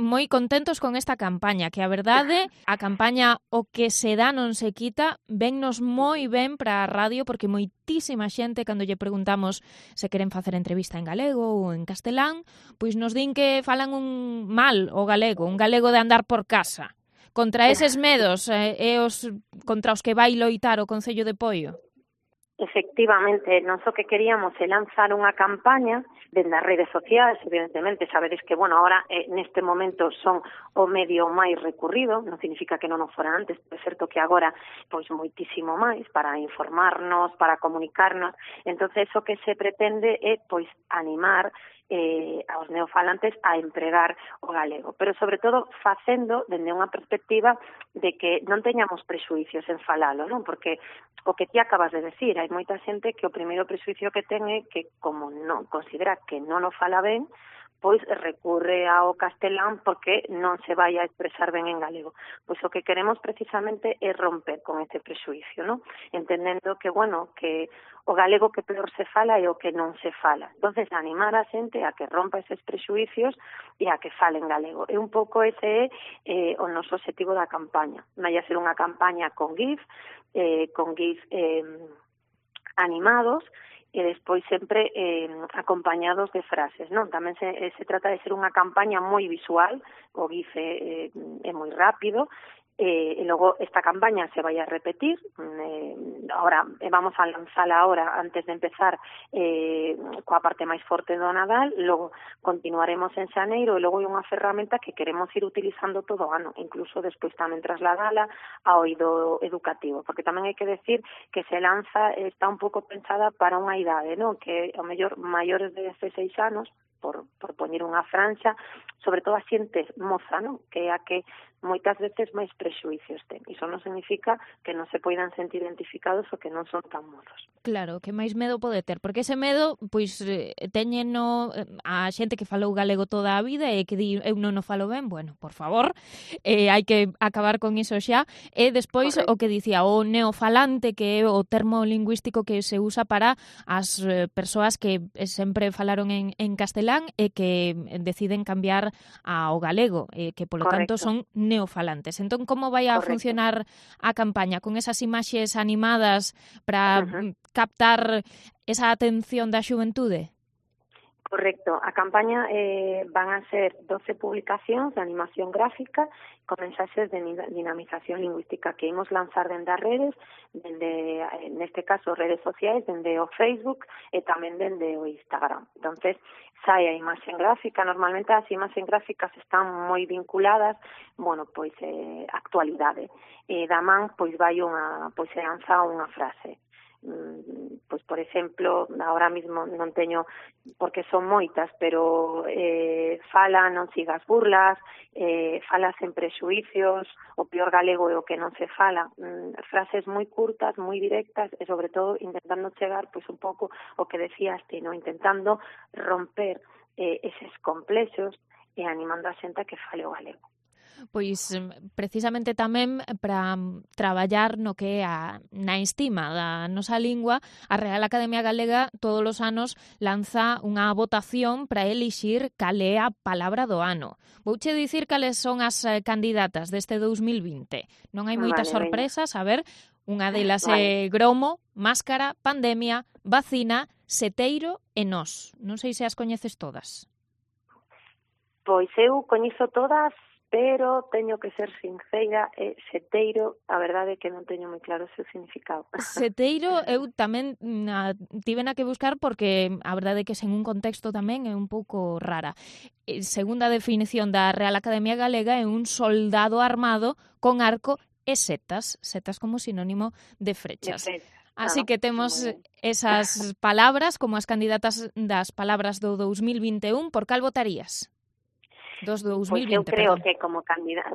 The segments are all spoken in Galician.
moi contentos con esta campaña, que a verdade, a campaña O que se dá non se quita, vennos moi ben para a radio, porque moitísima xente, cando lle preguntamos se queren facer entrevista en galego ou en castelán, pois nos din que falan un o galego de andar por casa. Contra eses medos contra os que vai loitar o Concello de Poio. Efectivamente, nós o que queríamos é lanzar unha campaña dende as redes sociais, evidentemente, sabedes que, ahora neste momento son o medio máis recurrido, non significa que non o fora antes, é certo que agora, pois, moitísimo máis para informarnos, para comunicarnos, entonces o que se pretende é, pois, animar aos neofalantes a empregar o galego, pero sobre todo facendo dende unha perspectiva de que non teñamos prexuicios en falalo, non? Porque o que ti acabas de decir, hai moita xente que o primeiro prexuicio que ten é que como non considera que non o fala ben, pois recurre ao castelán porque non se vai a expresar ben en galego. Pois o que queremos precisamente é romper con ese prexuicio, non? Entendendo que, que o galego que peor se fala é o que non se fala. Entonces, animar a xente a que rompa eses prexuicios e a que fale en galego. E un pouco ese é o noso objetivo da campaña. Vai a ser unha campaña con GIF animados, e despois sempre acompañados de frases, non? Tamén se trata de ser unha campaña moi visual, o GIF é moi rápido, e logo esta campaña se vai a repetir, ahora vamos a lanzala ahora antes de empezar coa parte máis forte do Nadal, logo continuaremos en xaneiro e logo é unha ferramenta que queremos ir utilizando todo o ano, incluso despois tamén trasladala ao eido educativo, porque tamén hai que decir que se lanza, está un pouco pensada para unha idade, non? Que ao mellor maiores de 16 anos, por poñer unha franxa, sobre todo a xente moza, non? Que é a que moitas veces máis prexuicios ten. Iso non significa que non se poidan sentir identificados ou que non son tan mozos. Claro, que máis medo pode ter, porque ese medo, pois, teñeno a xente que falou galego toda a vida e que di, eu non o falo ben, bueno, por favor, hai que acabar con iso xa. E despois, o que dicía, o neofalante, que é o termo lingüístico que se usa para as persoas que sempre falaron en castelán e que deciden cambiar ao galego, que polo tanto son neofalantes. Entón, como vai a funcionar a campaña? Con esas imaxes animadas para captar esa atención da xuventude? Correcto. A campaña van a ser 12 publicacións de animación gráfica con mensaxes de dinamización lingüística que imos lanzar dende as redes, dende, neste caso, redes sociais, dende o Facebook e tamén dende o Instagram. Entonces, sai a imaxen gráfica. Normalmente as imaxen gráficas están moi vinculadas, pois, a actualidade. Da man, pois, se lanza unha frase. Pois, por exemplo, ahora mismo non teño, porque son moitas, pero fala, non sigas burlas, fala sen prexuicios, o peor galego é o que non se fala, frases moi curtas, moi directas e sobre todo intentando chegar pois un pouco o que decías ti, non? Intentando romper eses complexos e animando a xente a que fale o galego. Pois precisamente tamén para traballar no que é na estima da nosa lingua, a Real Academia Galega todos os anos lanza unha votación para elixir cal é a palabra do ano. Vouche dicir cales son as candidatas deste 2020. Non hai moitas sorpresas, a ver, unha delas é gromo, máscara, pandemia, vacina, seteiro e nós. Non sei se as coñeces todas. Pois eu coñezo todas, pero teño que ser sincera, seteiro, a verdade é que non teño moi claro o seu significado. Seteiro eu tamén tivena que buscar porque a verdade é que sen un contexto tamén é un pouco rara. Segunda definición da Real Academia Galega é un soldado armado con arco e setas como sinónimo de frechas. Así que temos esas palabras como as candidatas das palabras do 2021. Por cal votarías? Dos 2020, pois eu creo que como candidata,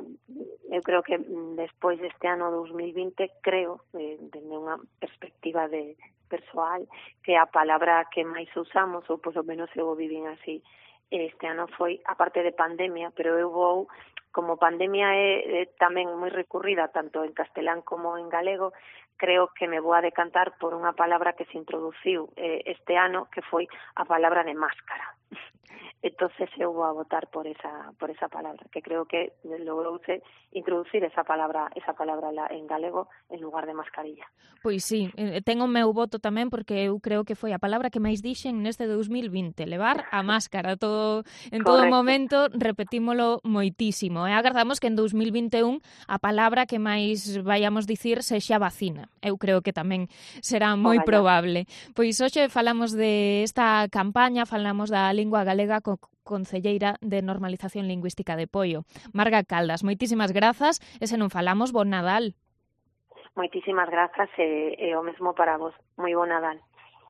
eu creo que despois deste ano 2020, creo, dende unha perspectiva de persoal, que a palabra que máis usamos, ou por lo menos eu o vivín así, este ano foi, aparte de pandemia, pero eu vou, como pandemia é tamén moi recurrida, tanto en castelán como en galego, creo que me vou a decantar por unha palabra que se introduciu este ano, que foi a palabra de máscara. entonces eu vou a votar por esa palabra, que creo que logrouse introducir esa palabra en galego en lugar de mascarilla. Pois sí, ten o meu voto tamén porque eu creo que foi a palabra que máis dixen neste 2020, levar a máscara en todo momento, repetímolo moitísimo. E agardamos que en 2021 a palabra que máis vayamos dicir sexa vacina. Eu creo que tamén será moi probable. Pois hoxe falamos de esta campaña, falamos da lingua galega concelleira de Normalización Lingüística de Poio, Marga Caldas. Moitísimas grazas e se non falamos, bon Nadal. Moitísimas grazas e o mesmo para vos. Moi bon Nadal.